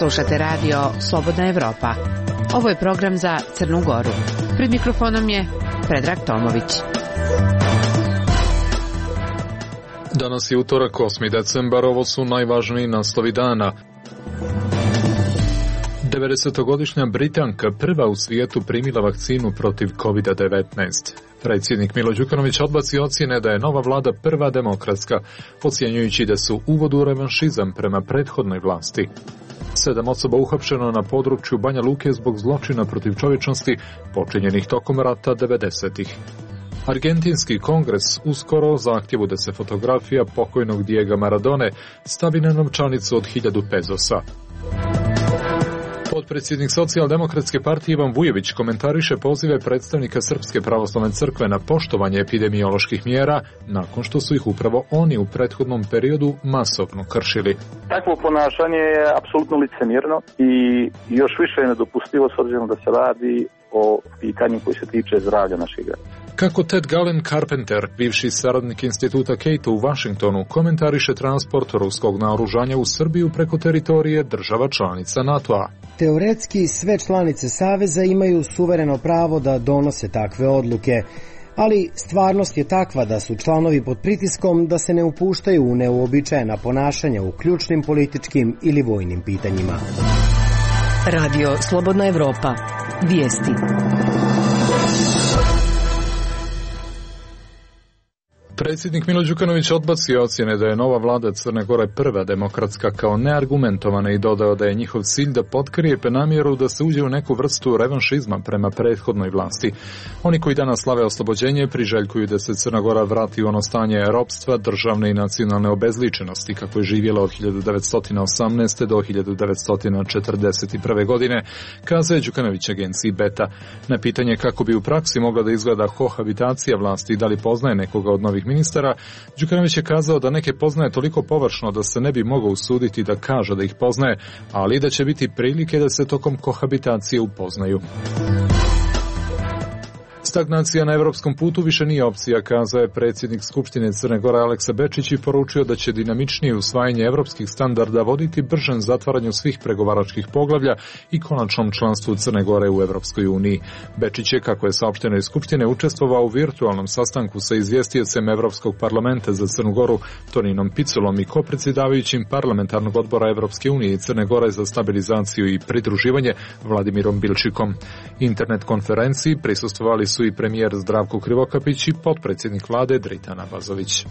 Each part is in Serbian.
Slušate radio Slobodna Evropa. Ovo je program za Crnu Goru. Pred mikrofonom je Predrag Tomović. Danas je utorak, 8. decembar, ovo su najvažniji naslovi dana. 90-godišnja Britanka prva u svijetu primila vakcinu protiv COVID-19. Predsjednik Milo Đukanović odbacio ocjene da je nova vlada prva demokratska, ocjenjujući da su uvod u revanšizam prema prethodnoj vlasti. 7 osoba uhapšeno na području Banja Luke zbog zločina protiv čovječnosti počinjenih tokom rata 90-ih. Argentinski kongres uskoro zahtjevu da se fotografija pokojnog Diega Maradone stavi na novčanicu od 1000 pezosa. Potpredsjednik Socijaldemokratske partije Ivan Vujović komentariše pozive predstavnika Srpske pravoslavne crkve na poštovanje epidemioloških mjera nakon što su ih upravo oni u prethodnom periodu masovno kršili. Takvo ponašanje je apsolutno licemjerno i još više je nedopustivo s obzirom da se radi o pitanju koji se tiče zdravlja naših građana. Kako Ted Galen Carpenter, bivši saradnik instituta Cato u Washingtonu, komentariše transport ruskog naoružanja u Srbiju preko teritorije država članica NATO-a. Teoretski sve članice Saveza imaju suvereno pravo da donose takve odluke, ali stvarnost je takva da su članovi pod pritiskom da se ne upuštaju u neuobičajena ponašanja u ključnim političkim ili vojnim pitanjima. Radio Slobodna Evropa. Vijesti. Predsjednik Milo Đukanović odbacio ocjene da je nova vlada Crne Gore prva demokratska kao neargumentovana i dodao da je njihov cilj da potkrije namjeru da se uđe u neku vrstu revanšizma prema prethodnoj vlasti. Oni koji danas slave oslobođenje priželjkuju da se Crna Gora vrati u ono stanje ropstva, državne i nacionalne obezličenosti kako je živjela od 1918. do 1941. godine, kazao je Đukanović agenciji Beta. Na pitanje kako bi u praksi mogla da izgleda kohabitacija vlasti i da li poznaje nekoga od novih ministara, Đukanović je kazao da neke poznaje toliko površno da se ne bi mogao usuditi da kaže da ih poznaje, ali da će biti prilike da se tokom kohabitacije upoznaju. Stagnacija na evropskom putu više nije opcija, kazao je predsjednik Skupštine Crne Gore Aleksa Bečić i poručio da će dinamičnije usvajanje evropskih standarda voditi bržem zatvaranju svih pregovaračkih poglavlja i konačnom članstvu Crne Gore u Evropskoj uniji. Bečić je, kako je saopšteno iz Skupštine, učestvovao u virtualnom sastanku sa izvjestiocem Evropskog parlamenta za Crnu Goru Toninom Piculom i kopredsjedavajućim parlamentarnog odbora Evropske unije i Crne Gore za stabilizaciju i pridruživanje Vladimirom Bilčikom. Internet konferenciji prisustvovali su i premijer Zdravko Krivokapić i potpredsjednik vlade Dritan Abazović.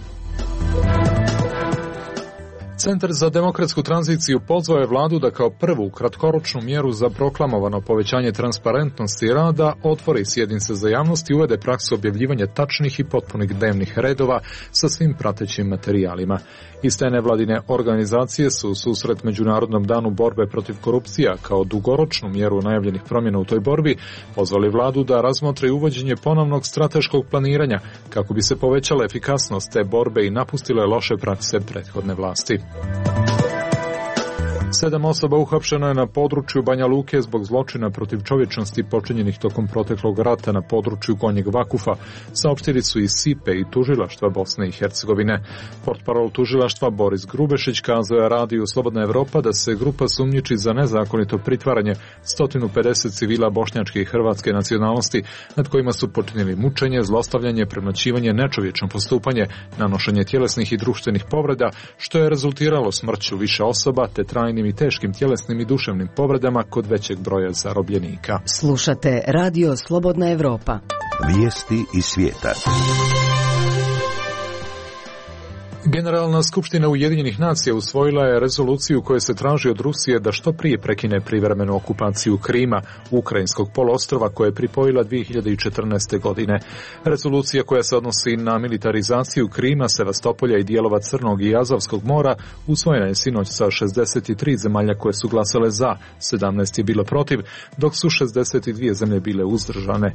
Centar za demokratsku tranziciju pozvao je vladu da kao prvu kratkoročnu mjeru za proklamovano povećanje transparentnosti rada otvori sjednice za javnost i uvede praksu objavljivanja tačnih i potpunih dnevnih redova sa svim pratećim materijalima. Iste nevladine organizacije su u susret Međunarodnom danu borbe protiv korupcija kao dugoročnu mjeru najavljenih promjena u toj borbi pozvali vladu da razmotri uvođenje ponovnog strateškog planiranja kako bi se povećala efikasnost te borbe i napustile loše prakse prethodne vlasti. 7 osoba uhapšeno je na području Banja Luke zbog zločina protiv čovječnosti počinjenih tokom proteklog rata na području Gornjeg Vakufa, saopštili su i SIPE i tužilaštva Bosne i Hercegovine. Portparol tužilaštva Boris Grubešić kazao je radiju Slobodna Evropa da se grupa sumnjiči za nezakonito pritvaranje 150 civila bošnjačke i hrvatske nacionalnosti nad kojima su počinili mučenje, zlostavljanje, premlaćivanje, nečovječno postupanje, nanošenje tjelesnih i društvenih povreda, što je rezultiralo smrću više osoba te trajnim i teškim tjelesnim i duševnim povredama kod većeg broja zarobljenika. Slušate Radio Slobodna Evropa. Vijesti iz svijeta. Generalna skupština Ujedinjenih nacija usvojila je rezoluciju kojoj se traži od Rusije da što prije prekine privremenu okupaciju Krima, ukrajinskog poluostrva koje je pripojila 2014. godine. Rezolucija koja se odnosi na militarizaciju Krima, Sevastopolja i dijelova Crnog i Azovskog mora usvojena je sinoć sa 63 zemalja koje su glasale za, 17 je bilo protiv, dok su 62 zemlje bile uzdržane.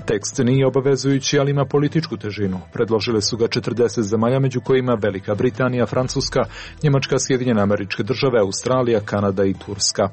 Tekst nije obavezujući, ali ima političku težinu. Predložile su ga 40 zemalja, među kojima Velika Britanija, Francuska, Njemačka, Sjedinjene Američke Države, Australija, Kanada i Turska.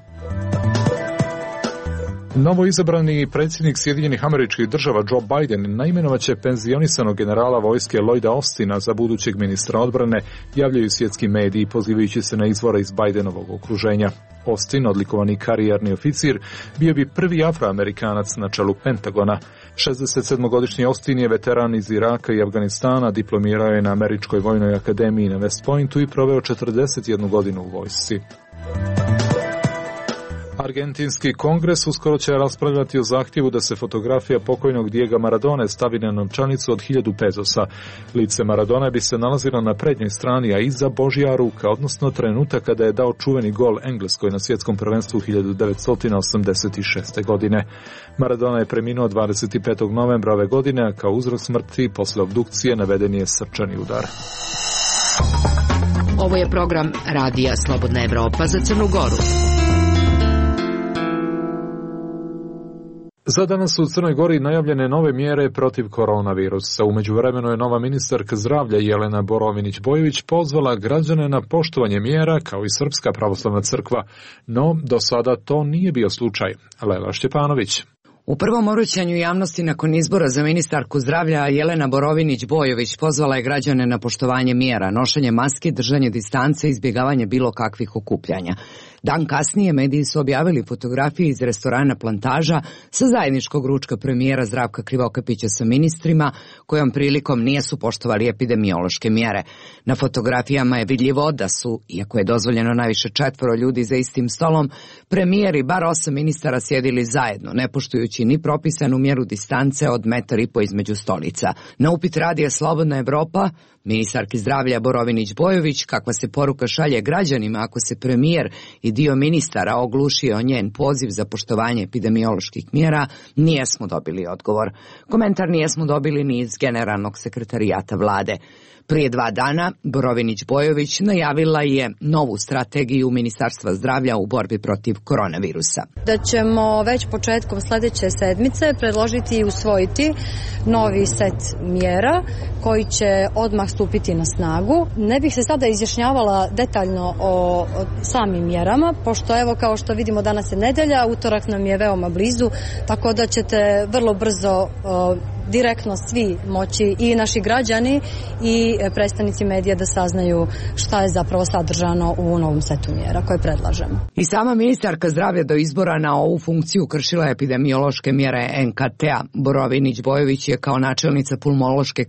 Novo izabrani predsjednik Sjedinjenih Američkih Država Joe Biden naimenovaće penzionisanog generala vojske Lloyda Austina za budućeg ministra odbrane, javljaju svjetski mediji pozivajući se na izvore iz Bidenovog okruženja. Austin, odlikovani karijerni oficir, bio bi prvi Afroamerikanac na čelu Pentagona. 67-godišnji Austin je veteran iz Iraka i Afganistana, diplomirao je na Američkoj vojnoj akademiji na West Pointu i proveo 41 godinu u vojsci. Argentinski kongres uskoro će raspravljati o zahtjevu da se fotografija pokojnog Diega Maradone stavi na novčanicu od 1000 pezosa. Lice Maradone bi se nalazilo na prednjoj strani, a iza Božja ruka, odnosno trenutak kada je dao čuveni gol Engleskoj na svjetskom prvenstvu 1986. godine. Maradona je preminuo 25. novembra ove godine, a kao uzrok smrti posle obdukcije naveden je srčani udar. Ovo je program Radija Slobodna Evropa za Crnu Goru. Za danas su u Crnoj Gori najavljene nove mjere protiv koronavirusa. U međuvremenu je nova ministarka zdravlja Jelena Borovinić-Bojović pozvala građane na poštovanje mjera kao i Srpska pravoslavna crkva, no do sada to nije bio slučaj. Lela Šćepanović. U prvom obraćanju javnosti nakon izbora za ministarku zdravlja Jelena Borovinić-Bojović pozvala je građane na poštovanje mjera, nošenje maski, držanje distance i izbjegavanje bilo kakvih okupljanja. Dan kasnije mediji su objavili fotografije iz restorana Plantaža sa zajedničkog ručka premijera Zdravka Krivokapića sa ministrima, kojom prilikom nisu poštovali epidemiološke mjere. Na fotografijama je vidljivo da su, iako je dozvoljeno najviše 4 ljudi za istim stolom, premijer i bar 8 ministara sjedili zajedno, ne poštujući ni propisanu mjeru distance od 1,5 metra između stolica. Na upit Radija Slobodna Evropa, ministarki zdravlja Borovinić-Bojović, kakva se poruka šalje građanima ako se premijer i dio ministara oglušio njen poziv za poštovanje epidemioloških mjera, nijesmo dobili odgovor. Komentar nijesmo dobili ni iz generalnog sekretarijata vlade. Prije 2 dana Borovinić-Bojović najavila je novu strategiju Ministarstva zdravlja u borbi protiv koronavirusa. Da ćemo već početkom sljedeće sedmice predložiti i usvojiti novi set mjera koji će odmah stupiti na snagu. Ne bih se sada izjašnjavala detaljno o samim mjerama, pošto evo kao što vidimo danas je nedelja, utorak nam je veoma blizu, tako da ćete vrlo brzo direktno svi moći, i naši građani i predstavnici medija, da saznaju šta je zapravo sadržano u novom setu mjera koje predlažemo. I sama ministarka zdravlja do izbora na ovu funkciju kršila epidemiološke mjere NKT-a. Borovinić-Bojović je kao načelnica pulmološke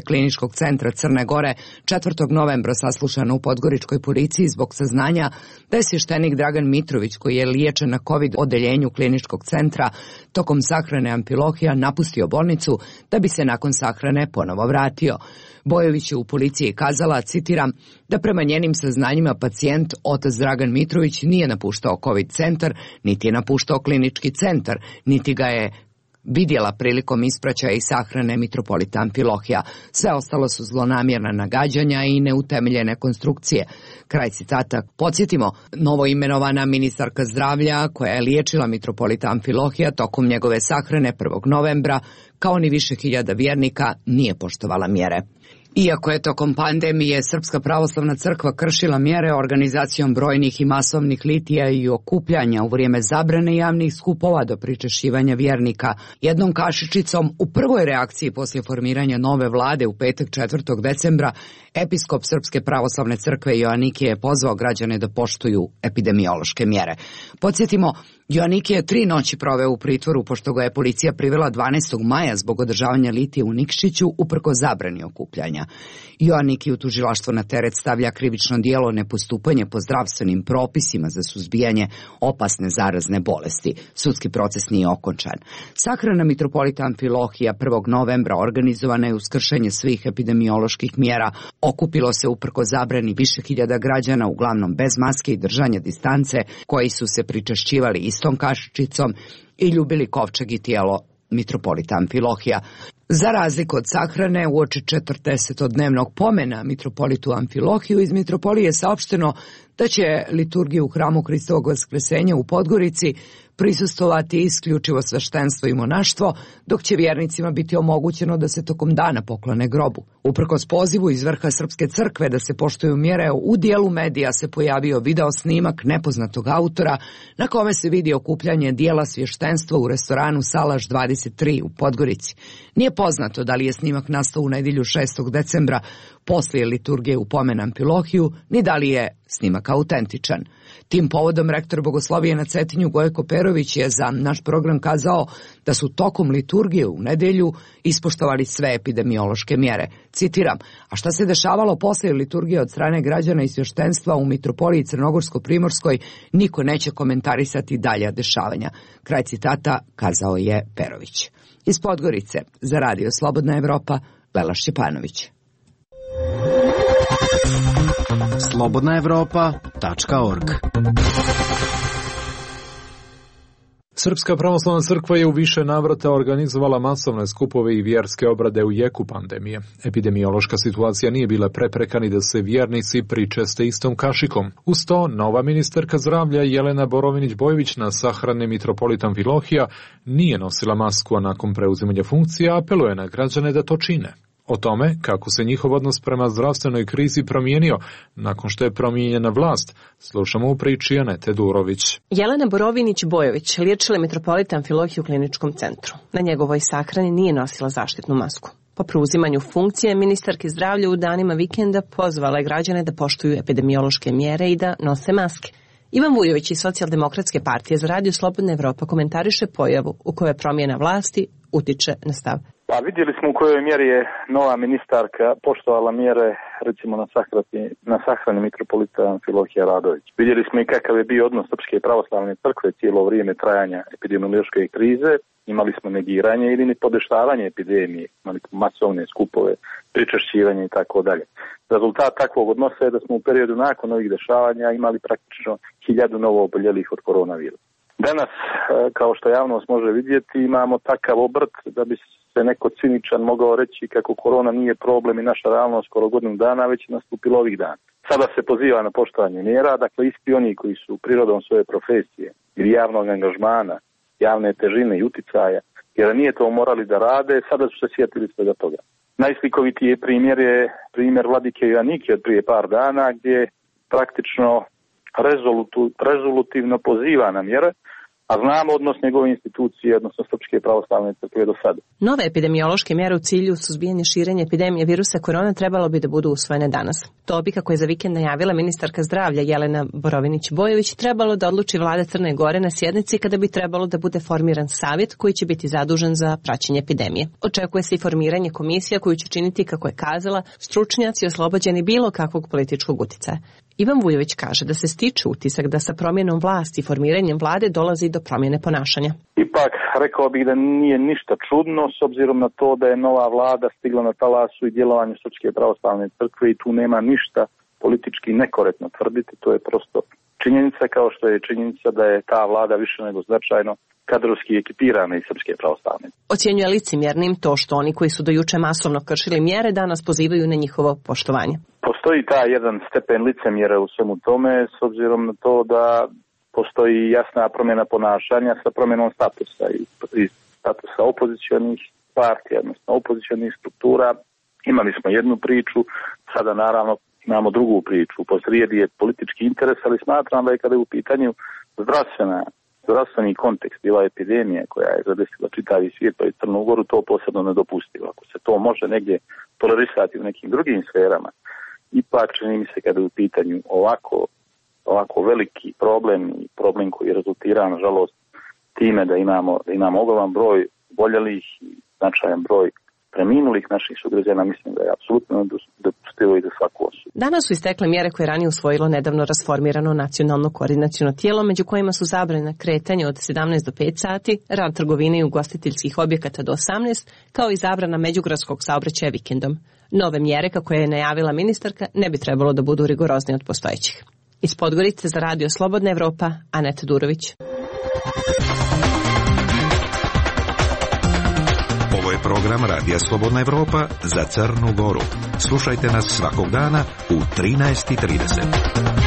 kliničkog centra Crne Gore 4. novembra saslušana u Podgoričkoj policiji zbog saznanja da je svještenik Dragan Mitrović, koji je liječen na COVID odeljenju kliničkog centra, tokom sahrane Amfilohija napustio bolnicu da bi se nakon sahrane ponovo vratio. Bojović je u policiji kazala, citiram, da prema njenim saznanjima pacijent otac Dragan Mitrović nije napuštao COVID centar, niti je napuštao klinički centar, niti ga je vidjela prilikom ispraćaja i sahrane mitropolita Amfilohija. Sve ostalo su zlonamjerna nagađanja i neutemeljene konstrukcije. Kraj citata. Podsjetimo, novo imenovana ministarka zdravlja, koja je liječila mitropolita Amfilohija tokom njegove sahrane 1. novembra, kao ni više hiljada vjernika, nije poštovala mjere. Iako je tokom pandemije Srpska pravoslavna crkva kršila mjere organizacijom brojnih i masovnih litija i okupljanja u vrijeme zabrane javnih skupova do pričešćivanja vjernika, jednom kašičicom u prvoj reakciji poslije formiranja nove vlade u petak 4. decembra, episkop Srpske pravoslavne crkve Joanikije je pozvao građane da poštuju epidemiološke mjere. Podsjetimo, Joanikije je 3 noći proveo u pritvoru pošto ga je policija privela 12. maja zbog održavanja litije u Nikšiću uprkos zabrani okupljanja. Joanikiju tužilaštvo na teret stavlja krivično djelo nepostupanje po zdravstvenim propisima za suzbijanje opasne zarazne bolesti. Sudski proces nije okončan. Sahrana mitropolita Amfilohija 1. novembra organizovana je uz kršenje svih epidemioloških mjera. Okupilo se uprkos zabrani više hiljada građana, uglavnom bez maske i držanja distance, koji su se pričešćivali istom kašičicom i ljubili kovčeg i tijelo mitropolita Amfilohija. Za razliku od sahrane, uoči 40-dnevnog pomena mitropolitu Amfilohiju, iz mitropolije je saopšteno da će liturgiju u hramu Hristovog Vaskresenja u Podgorici prisustvovati isključivo sveštenstvo i monaštvo, dok će vjernicima biti omogućeno da se tokom dana poklone grobu. Uprkos pozivu iz vrha Srpske crkve da se poštuju mjere, u dijelu medija se pojavio video snimak nepoznatog autora na kome se vidi okupljanje dijela svještenstva u restoranu Salaš 23 u Podgorici. Nije poznato da li je snimak nastao u nedjelju 6. decembra poslije liturgije u Pomen Amfilohiju, ni da li je snimak autentičan. Tim povodom rektor Bogoslovije na Cetinju Gojko Perović je za naš program kazao da su tokom liturgije u nedjelju ispoštovali sve epidemiološke mjere. Citiram, a šta se dešavalo poslije liturgije od strane građana i svještenstva u Mitropoliji Crnogorsko-Primorskoj, niko neće komentarisati dalja dešavanja. Kraj citata kazao je Perović. Iz Podgorice, za Radio Slobodna Evropa, Lela Šćepanović. slobodnaevropa.org. Srpska pravoslavna crkva je u više navrata organizovala masovne skupove i vjerske obrade u jeku pandemije. Epidemiološka situacija nije bila prepreka ni da se vjernici pričeste istom kašikom. Uz to, nova ministarka zdravlja Jelena Borovinić-Bojović na sahrani Mitropolit Amfilohija nije nosila masku, a nakon preuzimanja funkcija apeluje na građane da to čine. O tome kako se njihov odnos prema zdravstvenoj krizi promijenio nakon što je promijenjena vlast, slušamo u priči Anete Durović. Jelena Borovinić-Bojović liječila je Mitropolita Amfilohiju u kliničkom centru. Na njegovoj sahrani nije nosila zaštitnu masku. Po preuzimanju funkcije, ministarke zdravlja u danima vikenda pozvala je građane da poštuju epidemiološke mjere i da nose maske. Ivan Vujović iz Socijaldemokratske partije za Radio Slobodna Evropa komentariše pojavu u kojoj promjena vlasti utiče na stav. Pa vidjeli smo u kojoj mjeri je nova ministarka poštovala mjere, recimo na sahrani Mitropolita Amfilohija Radović. Vidjeli smo i kakav je bio odnos Srpske pravoslavne crkve cijelo vrijeme trajanja epidemiološke krize. Imali smo negiranje ili nepodeštavanje epidemije, imali smo masovne skupove, pričešćivanje i tako dalje. Rezultat takvog odnosa je da smo u periodu nakon ovih dešavanja imali praktično 1000 novo oboljelih od koronavirusa. Danas, kao što javnost može vidjeti, imamo takav obrt da bi se neko ciničan mogao reći kako korona nije problem i naša realnost skoro godinu dana, već je nastupilo ovih dana. Sada se poziva na poštovanje mjera, dakle isti oni koji su prirodom svoje profesije ili javnog angažmana, javne težine i uticaja, jer nije to morali da rade, sada su se sjetili svega toga. Najslikovitiji primjer je primjer vladike Joanike od prije par dana, gdje praktično rezolutivno poziva na mjere, a znamo odnos njegove institucije, odnosno Srpske pravoslavne crkve do sada. Nove epidemiološke mjere u cilju suzbijanja širenja epidemije virusa korona trebalo bi da budu usvojene danas. To bi, kako je za vikend najavila ministarka zdravlja Jelena Borovinić-Bojović, trebalo da odluči vlada Crne Gore na sjednici kada bi trebalo da bude formiran savjet koji će biti zadužen za praćenje epidemije. Očekuje se i formiranje komisija koju će činiti, kako je kazala, stručnjaci oslobođeni bilo kakvog političkog uticaja. Ivan Vujović kaže da se stiče utisak da sa promjenom vlasti i formiranjem vlade dolazi do promjene ponašanja. Ipak, rekao bih da nije ništa čudno s obzirom na to da je nova vlada stigla na talasu i djelovanju Srpske pravoslavne crkve i tu nema ništa politički nekorektno tvrditi. To je prosto činjenica, kao što je činjenica da je ta vlada više nego značajno kadrovski ekipirana iz Srpske pravoslavne. Ocjenjuje licemjernim to što oni koji su do juče masovno kršili mjere danas pozivaju na njihovo poštovanje. Postoji taj jedan stepen licemjera u svemu tome, s obzirom na to da postoji jasna promjena ponašanja sa promjenom statusa i statusa opozicionih partija, odnosno opozicionih struktura. Imali smo jednu priču, sada naravno imamo drugu priču. Posrijedi je politički interes, ali smatram da je kada je u pitanju zdravstveni kontekst i ova epidemija koja je zadesila čitavi svijet pa i Crnu Goru, to posebno nedopustivo. Ako se to može negdje tolerisati u nekim drugim sferama, ipak čini mi se kada je u pitanju ovako veliki problem koji rezultira nažalost time da imamo ogroman broj boljelih i značajan broj preminulih naših sugrađana, mislim da je apsolutno nedopustivo i za svaku osobu. Danas su istekle mjere koje je ranije usvojilo nedavno rasformirano nacionalno koordinaciono tijelo, među kojima su zabrana kretanja od 17 do 5 sati, rad trgovine i ugostiteljskih objekata do 18, kao i zabrana međugradskog saobraćaja vikendom. Nove mjere, kako je najavila ministarka, ne bi trebalo da budu rigoroznije od postojećih. Iz Podgorice za Radio Slobodna Evropa, Aneta Durović. Ovo je program Radija Slobodna Evropa za Crnu Goru. Slušajte nas svakog dana u 13:30.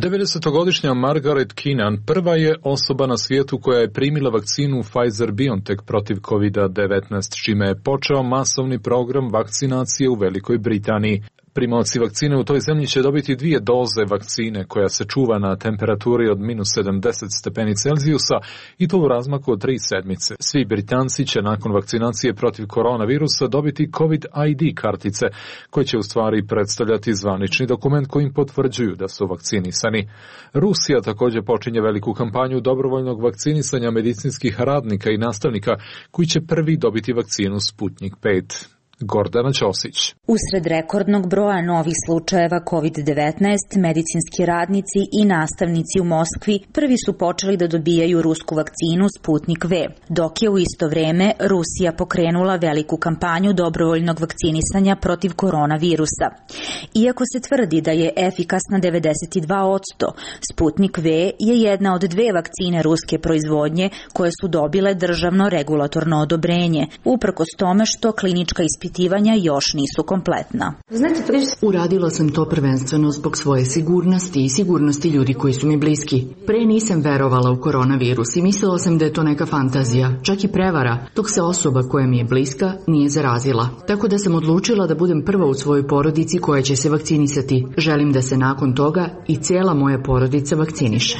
90-godišnja Margaret Keenan prva je osoba na svijetu koja je primila vakcinu Pfizer-BioNTech protiv COVID-19, čime je počeo masovni program vakcinacije u Velikoj Britaniji. Primaoci vakcine u toj zemlji će dobiti 2 doze vakcine koja se čuva na temperaturi od -70 stepeni Celzijusa i to u razmaku od 3 sedmice. Svi Britanci će nakon vakcinacije protiv koronavirusa dobiti COVID ID kartice, koje će u stvari predstavljati zvanični dokument kojim potvrđuju da su vakcinisani. Rusija također počinje veliku kampanju dobrovoljnog vakcinisanja medicinskih radnika i nastavnika koji će prvi dobiti vakcinu Sputnik 5. Gordana Ćosić. Usred rekordnog broja novih slučajeva COVID-19, medicinski radnici i nastavnici u Moskvi prvi su počeli da dobijaju rusku vakcinu Sputnik V, dok je u isto vreme Rusija pokrenula veliku kampanju dobrovoljnog vakcinisanja protiv koronavirusa. Iako se tvrdi da je efikasna 92%, Sputnik V je jedna od 2 vakcine ruske proizvodnje koje su dobile državno regulatorno odobrenje, uprkos tome što klinička ispitivanja još nisu kompletna. Uradila sam to prvenstveno zbog svoje sigurnosti i sigurnosti ljudi koji su mi bliski. Pre nisam verovala u koronavirus i mislila sam da je to neka fantazija, čak i prevara, dok se osoba koja mi je bliska nije zarazila. Tako da sam odlučila da budem prva u svojoj porodici koja će se vakcinisati. Želim da se nakon toga i cijela moja porodica vakciniše.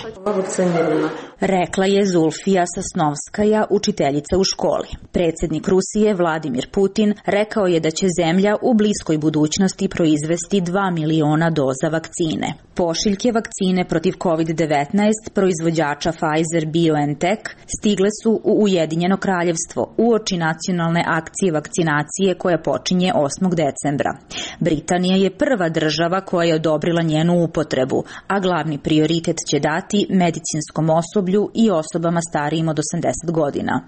Rekla je Zulfija Sasnovskaja, učiteljica u školi. Predsjednik Rusije Vladimir Putin rekao je da će zemlja u bliskoj budućnosti proizvesti 2 miliona doza vakcine. Pošiljke vakcine protiv COVID-19 proizvođača Pfizer-BioNTech stigle su u Ujedinjeno kraljevstvo uoči nacionalne akcije vakcinacije koja počinje 8. decembra. Britanija je prva država koja je odobrila njenu upotrebu, a glavni prioritet će dati medicinskom osoblju i osobama starijim od 80 godina.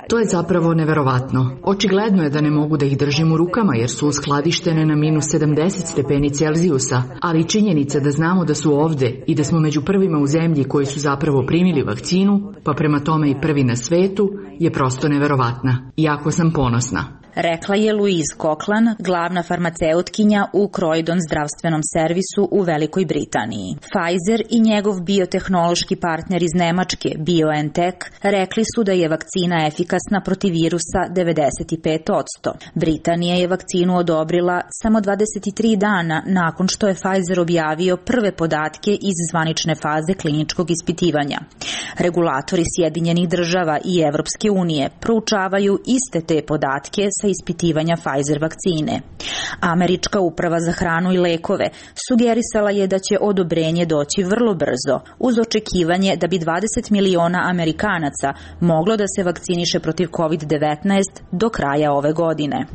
To je zapravo neverovatno. Očigledno je da ne mogu da ih držim u rukama jer su uskladištene na -70 stepeni Celzijusa, ali činjenica da znamo da su ovde i da smo među prvima u zemlji koji su zapravo primili vakcinu, pa prema tome i prvi na svetu, je prosto neverovatna. Jako sam ponosna. Rekla je Louise Cochlan, glavna farmaceutkinja u Croydon zdravstvenom servisu u Velikoj Britaniji. Pfizer i njegov biotehnološki partner iz Nemačke, BioNTech, rekli su da je vakcina efikasna protiv virusa 95%. Britanija je vakcinu odobrila samo 23 dana nakon što je Pfizer objavio prve podatke iz zvanične faze kliničkog ispitivanja. Regulatori Sjedinjenih država i Evropske unije proučavaju iste te podatke sa ispitivanja Pfizer vakcine. Američka uprava za hranu i lekove sugerisala je da će odobrenje doći vrlo brzo, uz očekivanje da bi 20 miliona Amerikanaca moglo da se vakciniše protiv COVID-19 do kraja ove godine.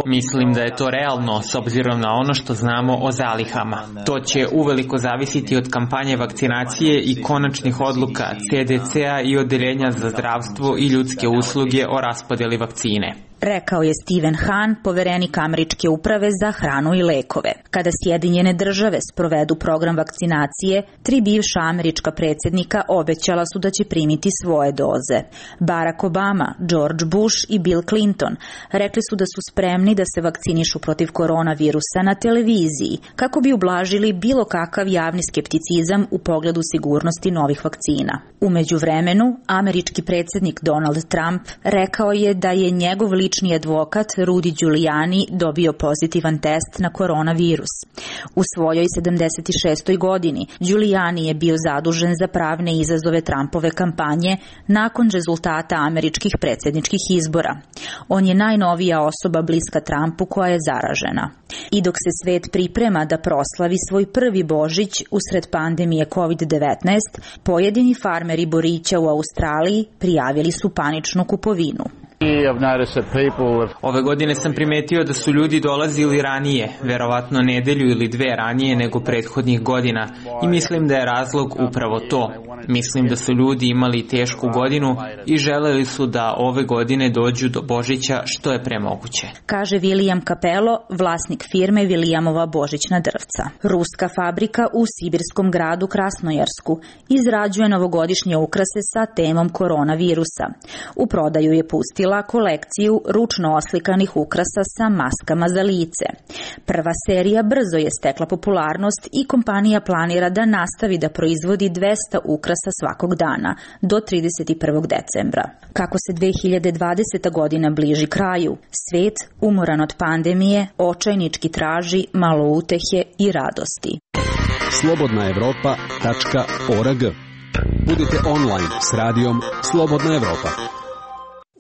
Mislim da je to realno s obzirom na ono što znamo o zalihama. To će uveliko zavisiti od kampanje vakcinacije i konačnih odluka CDC-a i Odeljenja za zdravstvo i ljudske usluge o raspodjeli vakcine. Rekao je Stephen Hahn, poverenik Američke uprave za hranu i lekove. Kada Sjedinjene države sprovedu program vakcinacije, 3 bivša američka predsjednika obećala su da će primiti svoje doze. Barack Obama, George Bush i Bill Clinton rekli su da su spremni da se vakcinišu protiv koronavirusa na televiziji, kako bi ublažili bilo kakav javni skepticizam u pogledu sigurnosti novih vakcina. U međuvremenu, američki predsjednik Donald Trump rekao je da je njegov lični advokat Rudy Giuliani dobio pozitivan test na koronavirus. U svojoj 76. godini Giuliani je bio zadužen za pravne izazove Trumpove kampanje nakon rezultata američkih predsjedničkih izbora. On je najnovija osoba bliska Trumpu koja je zaražena. I dok se svet priprema da proslavi svoj prvi Božić usred pandemije COVID-19, pojedini farmeri borića u Australiji prijavili su paničnu kupovinu. Ove godine sam primetio da su ljudi dolazili ranije, verovatno nedelju ili 2 ranije nego prethodnih godina, i mislim da je razlog upravo to. Mislim da su ljudi imali tešku godinu i želeli su da ove godine dođu do Božića što je pre moguće. Kaže William Capello, vlasnik firme Williamova božićna drvca. Ruska fabrika u sibirskom gradu Krasnojarsku izrađuje novogodišnje ukrase sa temom koronavirusa. U prodaju je pustila kolekciju ručno oslikanih ukrasa sa maskama za lice. Prva serija brzo je stekla popularnost i kompanija planira da nastavi da proizvodi 200 ukrasa svakog dana do 31. decembra. Kako se 2020. godina bliži kraju, svet, umoran od pandemije, očajnički traži malo utehe i radosti. slobodnaevropa.org. Budite online s radijom Slobodna Evropa.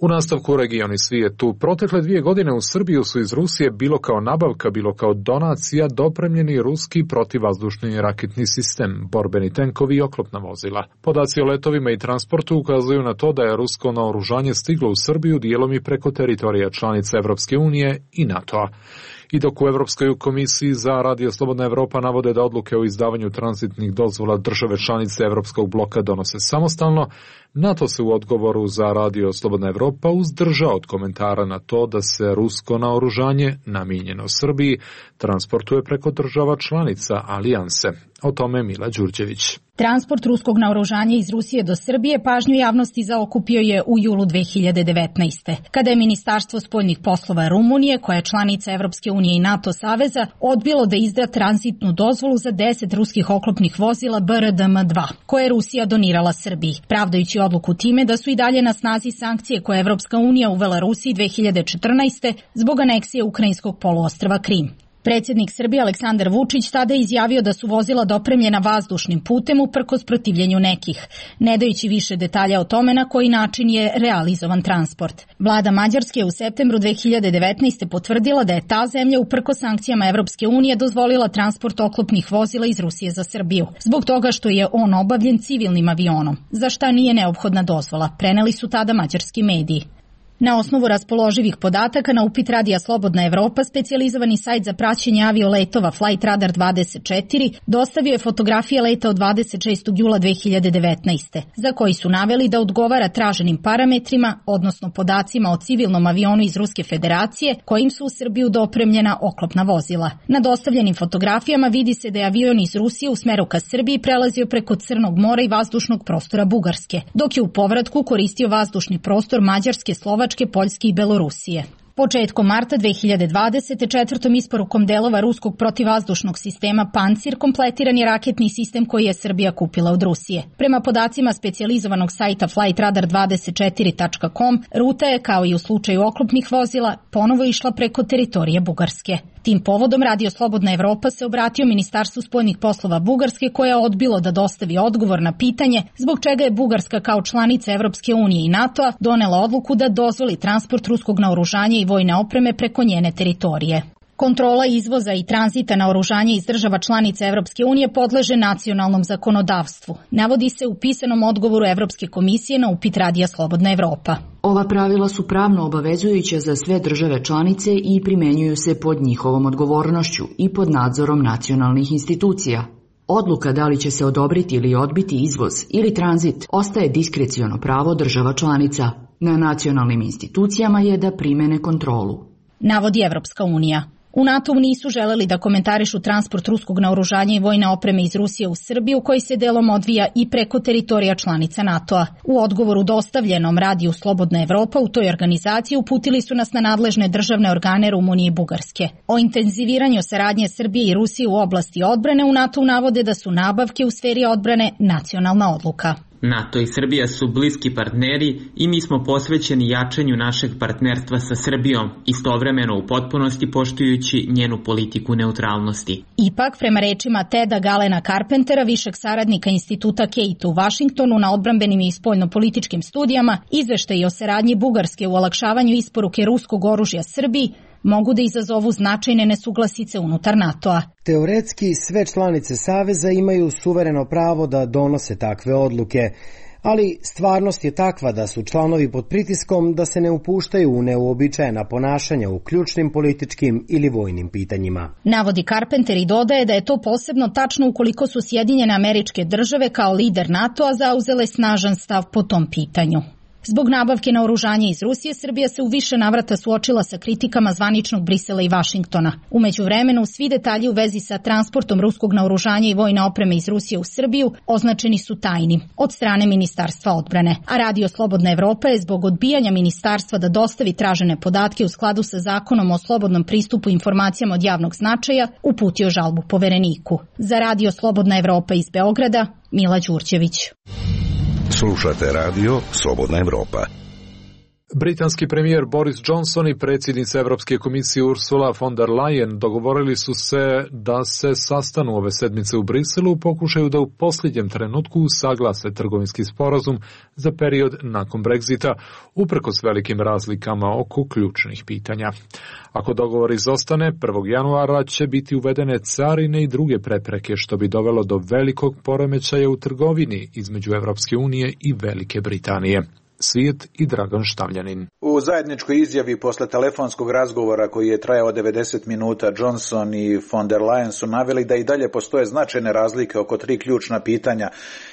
U nastavku regioni svijetu, protekle 2 godine u Srbiju su iz Rusije bilo kao nabavka, bilo kao donacija dopremljeni ruski protivvazdušni raketni sistem, borbeni tenkovi i oklopna vozila. Podaci o letovima i transportu ukazuju na to da je rusko naoružanje stiglo u Srbiju dijelom i preko teritorija članica Evropske unije i NATO-a. I dok u Evropskoj komisiji za Radio Slobodna Evropa navode da odluke o izdavanju tranzitnih dozvola države članice Evropskog bloka donose samostalno, NATO se u odgovoru za Radio Slobodna Evropa uzdržao od komentara na to da se rusko naoružanje, namijenjeno Srbiji, transportuje preko država članica alijanse. O tome Mila Đurđević. Transport ruskog naoružanja iz Rusije do Srbije pažnju javnosti zaokupio je u julu 2019. kada je Ministarstvo spoljnih poslova Rumunije, koja je članica Evropske unije i NATO saveza, odbilo da izda tranzitnu dozvolu za 10 ruskih oklopnih vozila BRDM-2, koje je Rusija donirala Srbiji, pravdajući odluku time da su i dalje na snazi sankcije koje je Evropska unija uvela Rusiji 2014. zbog aneksije ukrajinskog poluostrva Krim. Predsjednik Srbije Aleksandar Vučić tada je izjavio da su vozila dopremljena vazdušnim putem uprkos protivljenju nekih, ne dajući više detalja o tome na koji način je realizovan transport. Vlada Mađarske je u septembru 2019. potvrdila da je ta zemlja uprkos sankcijama Evropske unije dozvolila transport oklopnih vozila iz Rusije za Srbiju, zbog toga što je on obavljen civilnim avionom, za šta nije neophodna dozvola, preneli su tada mađarski mediji. Na osnovu raspoloživih podataka na upit Radija Slobodna Evropa, specijalizovani sajt za praćenje avioletova Flight Radar 24 dostavio je fotografije leta od 26. jula 2019. za koji su naveli da odgovara traženim parametrima, odnosno podacima o civilnom avionu iz Ruske federacije kojim su u Srbiju dopremljena oklopna vozila. Na dostavljenim fotografijama vidi se da je avion iz Rusije u smeru ka Srbiji prelazio preko Crnog mora i vazdušnog prostora Bugarske, dok je u povratku koristio vazdušni prostor Mađarske, Slovačke, Poljske i Belorusije. Početkom marta 2020. četvrtom isporukom delova ruskog protivvazdušnog sistema Pancir kompletiran je raketni sistem koji je Srbija kupila od Rusije. Prema podacima specijalizovanog sajta flightradar24.com, ruta je, kao i u slučaju oklopnih vozila, ponovo išla preko teritorije Bugarske. Tim povodom Radio Slobodna Evropa se obratio Ministarstvu spoljnih poslova Bugarske, koje je odbilo da dostavi odgovor na pitanje zbog čega je Bugarska kao članica Evropske unije i NATO-a donela odluku da dozvoli transport ruskog naoružanja i vojne opreme preko njene teritorije. Kontrola izvoza i tranzita naoružanja iz država članica Evropske unije podleže nacionalnom zakonodavstvu, navodi se u pisanom odgovoru Evropske komisije na upit Radija Slobodna Evropa. Ova pravila su pravno obavezujuća za sve države članice i primenjuju se pod njihovom odgovornošću i pod nadzorom nacionalnih institucija. Odluka da li će se odobriti ili odbiti izvoz ili tranzit ostaje diskreciono pravo država članica. Na nacionalnim institucijama je da primene kontrolu, navodi Evropska unija. U NATO-u nisu želeli da komentarišu transport ruskog naoružanja i vojne opreme iz Rusije u Srbiju, koji se delom odvija i preko teritorija članica NATO-a. U odgovoru dostavljenom Radiju Slobodna Evropa u toj organizaciji uputili su nas na nadležne državne organe Rumunije i Bugarske. O intenziviranju saradnje Srbije i Rusije u oblasti odbrane u NATO-u navode da su nabavke u sferi odbrane nacionalna odluka. NATO i Srbija su bliski partneri i mi smo posvećeni jačanju našeg partnerstva sa Srbijom, istovremeno u potpunosti poštujući njenu politiku neutralnosti. Ipak, prema rečima Teda Galena Carpentera, višeg saradnika instituta Kate u Vašingtonu na odbrambenim i spoljnopolitičkim studijama, izveštaji o saradnji Bugarske u olakšavanju isporuke ruskog oružja Srbiji mogu da izazovu značajne nesuglasice unutar NATO-a. Teoretski sve članice Saveza imaju suvereno pravo da donose takve odluke, Ali stvarnost je takva da su članovi pod pritiskom da se ne upuštaju u neuobičajena ponašanja u ključnim političkim ili vojnim pitanjima. Navodi Carpenter i dodaje da je to posebno tačno ukoliko su Sjedinjene Američke Države kao lider NATO-a zauzele snažan stav po tom pitanju. Zbog nabavke naoružanja iz Rusije, Srbija se u više navrata suočila sa kritikama zvaničnog Brisela i Vašingtona. U međuvremenu, svi detalji u vezi sa transportom ruskog naoružanja i vojne opreme iz Rusije u Srbiju označeni su tajnim od strane Ministarstva odbrane. A Radio Slobodna Evropa je zbog odbijanja ministarstva da dostavi tražene podatke u skladu sa zakonom o slobodnom pristupu informacijama od javnog značaja uputio žalbu Povereniku. Za Radio Slobodna Evropa iz Beograda, Mila Đurđević. Slušate radio Slobodna Evropa. Britanski premijer Boris Johnson i predsjednica Evropske komisije Ursula von der Leyen dogovorili su se da se sastanu ove sedmice u Briselu u pokušaju da u posljednjem trenutku usaglase trgovinski sporazum za period nakon Brexita, uprkos velikim razlikama oko ključnih pitanja. Ako dogovor izostane, 1. januara će biti uvedene carine i druge prepreke, što bi dovelo do velikog poremećaja u trgovini između Evropske unije i Velike Britanije. Svijet i Dragan Štavljanin. U zajedničkoj izjavi posle telefonskog razgovora koji je trajao 90 minuta, Johnson i von der Leyen su naveli da i dalje postoje značajne razlike oko 3 ključna pitanja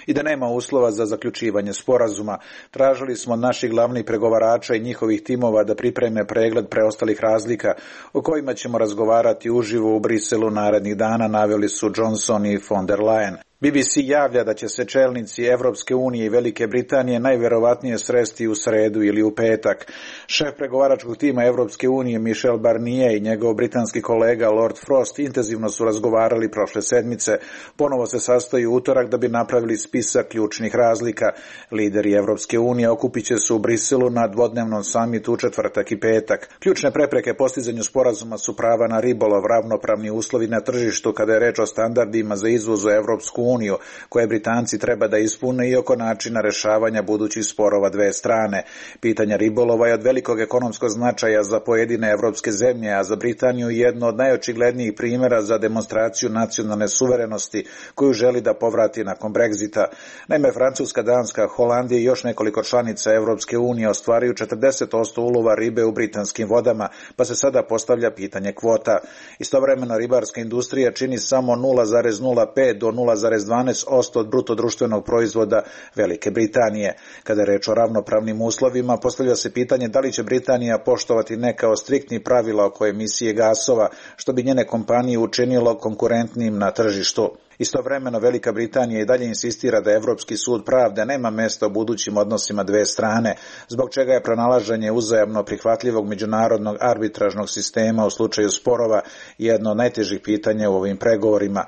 i da nema uslova za zaključivanje sporazuma. Tražili smo od naših glavnih pregovarača i njihovih timova da pripreme pregled preostalih razlika o kojima ćemo razgovarati uživo u Briselu narednih dana, naveli su Johnson i von der Leyen. BBC javlja da će se čelnici Evropske unije i Velike Britanije najverovatnije sresti u sredu ili u petak. Šef pregovaračkog tima Evropske unije Michel Barnier i njegov britanski kolega Lord Frost intenzivno su razgovarali prošle sedmice. Ponovo se sastaju u utorak da bi napravili spisak ključnih razlika. Lideri Evropske unije okupit će se u Briselu na dvodnevnom samitu u četvrtak i petak. Ključne prepreke postizanju sporazuma su prava na ribolov, ravnopravni uslovi na tržištu kada je reč o standardima za izvoz u Evropsku uniju, koje Britanci treba da ispune, i oko načina rešavanja budućih sporova dve strane. Pitanje ribolova je od velikog ekonomskog značaja za pojedine evropske zemlje, a za Britaniju jedno od najočiglednijih primjera za demonstraciju nacionalne suverenosti koju želi da povrati nakon Brexita. Naime, Francuska, Danska, Holandija i još nekoliko članica Evropske unije ostvaruju 40% ulova ribe u britanskim vodama, pa se sada postavlja pitanje kvota. Istovremeno, ribarska industrija čini samo 0,05 do 0,12% od bruto društvenog proizvoda Velike Britanije. Kada je reč o ravnopravnim uslovima, postavlja se pitanje da li će Britanija poštovati neka od striktnih pravila oko emisije gasova, što bi njene kompanije učinilo konkurentnim na tržištu. Istovremeno, Velika Britanija i dalje insistira da Evropski sud pravde nema mesta u budućim odnosima dve strane, zbog čega je pronalaženje uzajamno prihvatljivog međunarodnog arbitražnog sistema u slučaju sporova jedno od najtežih pitanja u ovim pregovorima.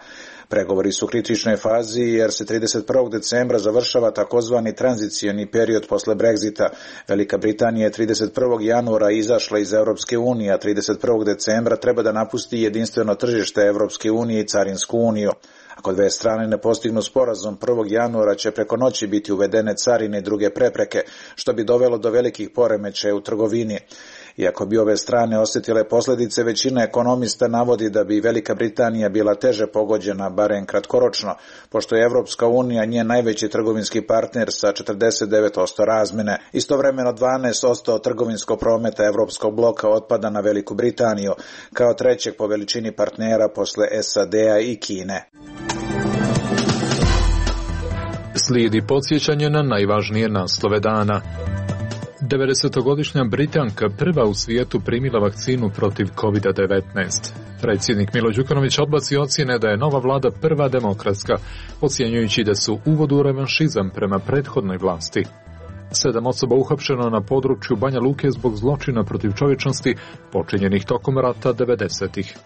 Pregovori su u kritičnoj fazi jer se 31. decembra završava takozvani tranzicioni period posle Brexita. Velika Britanija je 31. januara izašla iz Evropske unije, a 31. decembra treba da napusti jedinstveno tržište Evropske unije i Carinsku uniju. Ako dve strane ne postignu sporazum, 1. januara će preko noći biti uvedene carine i druge prepreke, što bi dovelo do velikih poremećaja u trgovini. Iako bi ove strane osjetile posljedice, većina ekonomista navodi da bi Velika Britanija bila teže pogođena, barem kratkoročno, pošto je Evropska unija njen najveći trgovinski partner sa 49% razmene. Istovremeno 12% trgovinskog prometa Evropskog bloka otpada na Veliku Britaniju, kao trećeg po veličini partnera posle SAD-a i Kine. Slijedi podsjećanje na najvažnije naslove dana. 90-godišnja Britanka prva u svijetu primila vakcinu protiv COVID-19. Predsjednik Milo Đukanović odbacio ocjene da je nova vlada prva demokratska, ocjenjujući da su uvod u revanšizam prema prethodnoj vlasti. 7 osoba uhapšeno na području Banja Luke zbog zločina protiv čovječnosti počinjenih tokom rata 90-ih.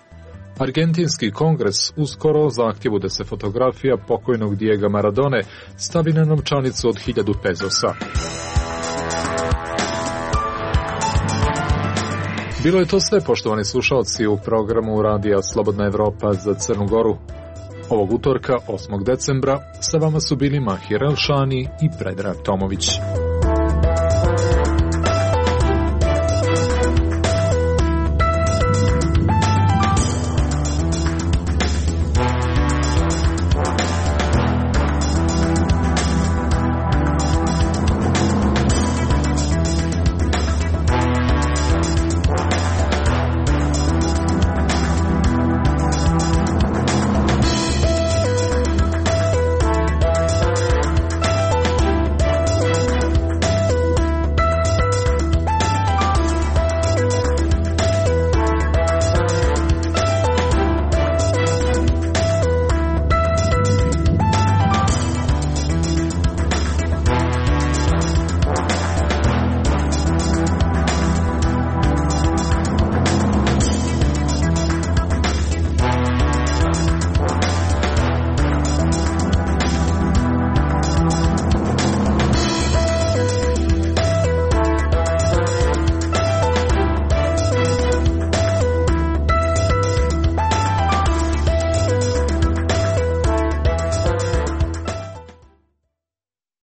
Argentinski kongres uskoro zahtjevu da se fotografija pokojnog Diega Maradone stavi na novčanicu od 1000 pezosa. Bilo je to sve, poštovani slušalci, u programu Radija Slobodna Evropa za Crnu Goru. Ovog utorka, 8. decembra, sa vama su bili Mahir Elšani i Predrag Tomović.